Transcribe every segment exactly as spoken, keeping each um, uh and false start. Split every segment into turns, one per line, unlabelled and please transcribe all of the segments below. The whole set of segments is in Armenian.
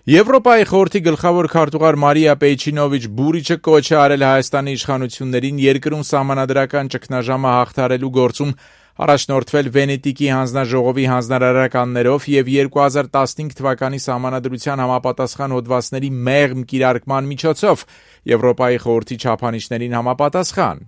Եվրոպայի խորհրդի գլխավոր քարտուղար Մարիա Պեյչինովիչ Բուրիչը կոչ է արել Հայաստանի իշխանություններին երկրում սահմանադրական ճգնաժամը հաղթահարելու գործում առաջնորդվել Վենետիկի հանձնաժողովի հանձնարարականներով և երկու հազար տասնհինգ թվականի սահմանադրության համապատասխան հոդվածների մեղմ կիրարկման միջոցով Եվրոպայի խորհրդի չափանիշներին համապատասխան։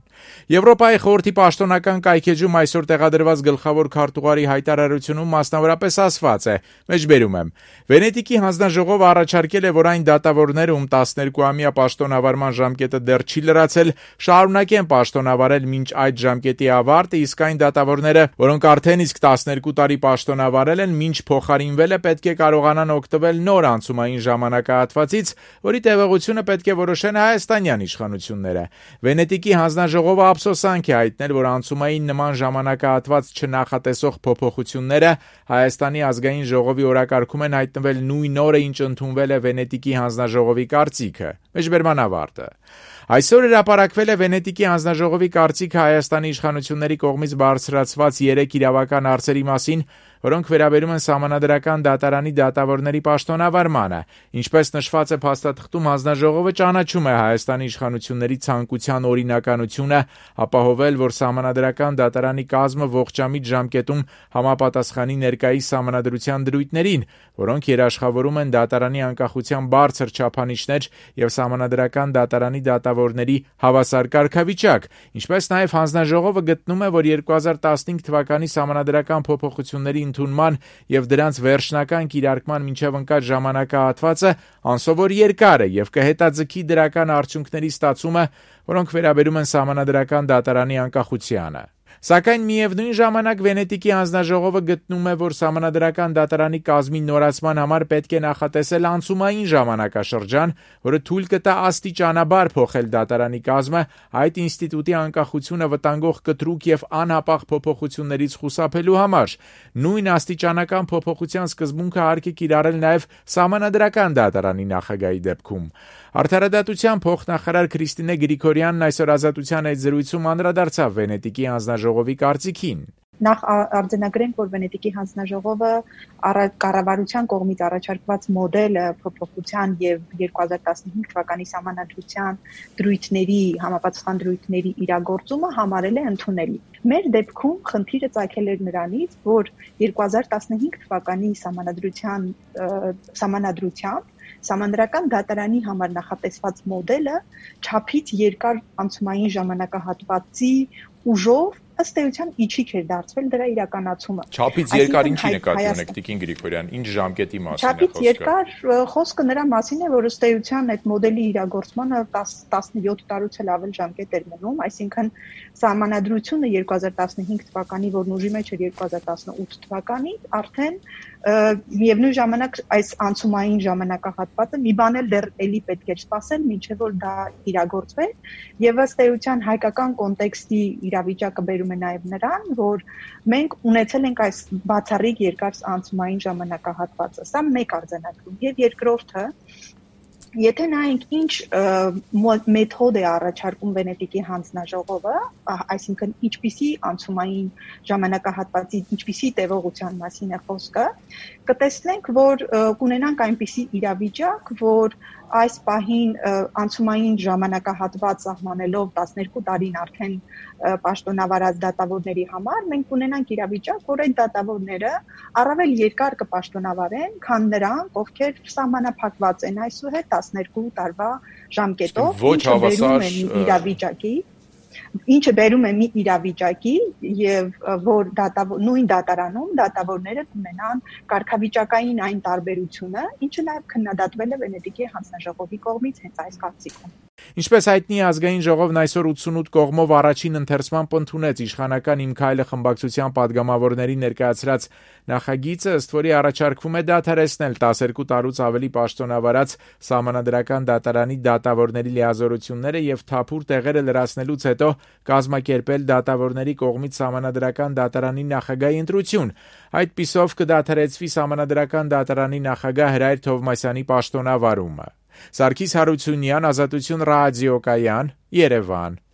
Եվրոպայի խորհրդի պաշտոնական կայքէջում այսօր տեղադրված գլխավոր քարտուղարի հայտարարությունում մասնավորապես ասված է. մեջբերում եմ. Վենետիկի հանձնաժողովը առաջարկել է, որ այն դատավորները, ում տասներկուամյա պաշտոնավարման ժամկետը դեռ չի լրացել, շարունակեն պաշտոնավարել մինչ այդ ժամկետի ավարտը, իսկ այն դատավորները, որոնք արդեն իսկ տասներկու տարի պաշտոնավարել են, մինչ փոխարինվել է, պետք է կարողանան օգտվել նոր անցումային ժամանակահատվածից, որի տևողությունը պետք է որոշեն հայաստանյան իշխանությունները։ Վենետիկի հանձնաժողովը ափսոսանք է հայտնել, որ անցումային նման ժամանակահատված չնախատեսող փոփոխությունները Հայաստանի ազգային ժողովի օրակարգում են հայտնվել նույն օրը, ինչ ընդունվել է Վենետիկի հանձնաժողովի կարծիքը։ Մեջբերման ավարտը։ Այսօր հրապարակվել է Վենետիկի հանձնաժողովի կարծիքը Հայաստանի իշխանությունների կողմից բարձրացված երեք իրավական հարցերի մասին, որոնք վերաբերում են սահմանադրական դատարանի դատավորների պաշտոնավարմանը։ Ինչպես նշված է փաստաթղթում, հանձնաժողովը ճանաչում է Հայաստանի իշխանությունների ցանկության օրինականությունը ապահովել, որ սահմանադրական դատարանի կազմը ողջամիտ ժամկետում համապատասխանի ներկայիս սահմանադրության դրույթներին, որոնք երաշխավորում են դատարանի անկախության բարձր չափանիշներ և սահմանադրական դատարանի դատավորների հավասար կարգավիճակ, ինչպես նաև հանձնաժողովը գտնում է, որ երկու հազար տասնհինգ թվականի սահմանադրական փոփոխությունների ընդունման և դրանց վերջնական կիրարկման մինչև ընկած ժամանակահատվածը անսովոր երկար է և կհետաձգի դրական արդյունքների ստացումը, որոնք վերաբերում են սահմանադրական դատարանի անկախությանը։ Սակայն միևնույն ժամանակ Վենետիկի հանձնաժողովը գտնում է, որ սահմանադրական դատարանի կազմի նորացման համար պետք է նախատեսել անցումային ժամանակաշրջան, որը թույլ կտա աստիճանաբար փոխել դատարանի կազմը, այդ ինստիտուտի անկախությունը վտանգող կտրուկ և անհապաղ փոփոխություններից խուսափելու համար։ Նույն աստիճանական փոփոխության սկզբունքը հարկ է կիրառել նաև սահմանադրական դատարանի նախագահի դեպքում։ Արդարադատության փոխնախարար Քրիստինե Գրիգորյանն այսօր Ազատության հետ զրույցում անդրադարձավ Վենետիկի հանձնաժողովի կարծիքին։
Նախ արձանագրենք, որ Վենետիկի հանձնաժողովը կառավարության կողմից առաջարկված մոդելը փոփոխության եւ երկու հազար տասնհինգ թվականի սահմանադրության դրույթների համապատասխան դրույթների իրագործումը համարել է ընդունելի։ Մեր դեպքում խնդիրը ծագել էր նրանից, որ երկու հազար տասնհինգ թվականի սահմանադրության սահմանադրությամբ Սահմանադրական դատարանի համար նախատեսված մոդելը չափից երկար անցումային ժամանակահատվածի ուժով ըստ էության իջիկ էր դարձվել դրա իրականացումը։
Չափից երկար ինչի նկատի ունեք, Տիկին Գրիգորյան, ինչ ժամկետի մասին է խոսքը։
Չափից երկար խոսքը նրա մասին է, որ ըստ էության այդ մոդելի իրագործմանը տասնյոթ տարուց էլ ավել ժամկետ էր մնում, այսինքն սահմանադրությունը երկու հազար տասնհինգ թվականի, որն ուժի մեջ էր երկու հազար տասնութ թվականի, արդեն միևնույն ժամանակ այս անցումային ժամանակահատվածը մի բան էլ դեռ էլի պետք էր սպասել, մինչև որ դա իրագործվեր, եւ ըստ էության հայկական կոնտեքստի իրավիճակը բերում է նաև նրան, որ մենք ունեցել ենք այս բացառիկ երկար անցումային ժամանակահատվածը։ Սա մեկ արձանագրում եւ երկրորդը, եթե նայենք ինչ մեթոդ է առաջարկում Վենետիկի հանձնաժողովը, այսինքն ինչպիսի անցումային ժամանակահատվածի, ինչպիսի տևողության մասին է խոսքը, կտեսնենք, որ կունենանք այնպիսի իրավիճակ, որ այս պահին անցումային ժամանակահատված սահմանելով տասներկու տարին արդեն պաշտոնավարած դատավորների համար, մենք ունենանք իրավիճակ, որ այդ դատավորները առավել երկար կպաշտոնավարեն, քան նրանք, ովքեր սահմանափակված են այսուհետ տասներկու տարվա ժամկետով,
ինչը բերում է
մի իրավիճակի, ինչը բերում է մի իրավիճակի եւ որ դատավոր նույն դատարանում դատավորները կունենան կարգավիճակային այն տարբերությունը, ինչը նաեւ քննադատվել է Վենետիկի հանձնաժողովի կողմից հենց այս կարծիքում։
Ինչպես հայտնի է, ազգային ժողովն այսօր ութսունութ կողմով առաջին ընթերցմամբ ընդունեց իշխանական «Իմ քայլը» խմբակցության պատգամավորների ներկայացրած նախագիծը, ըստ որի առաջարկվում է դադարեցնել տասներկու տարուց ավելի պաշտոնավարած սահմանադրական դատարանի դատավորների լիազորությունները եւ թափուր տեղերը լրացնելուց հետո կազմակերպել դատավորների կողմից սահմանադրական դատարանի նախագահի ընտրություն։ Այդպիսով կդադարեցվի սահմանադրական դատարանի նախագահ Հրայր Թովմասյանի պաշտոնավարումը։ Սարգիս Հարությունյան, Ազատություն ռադիոկայան, Երևան։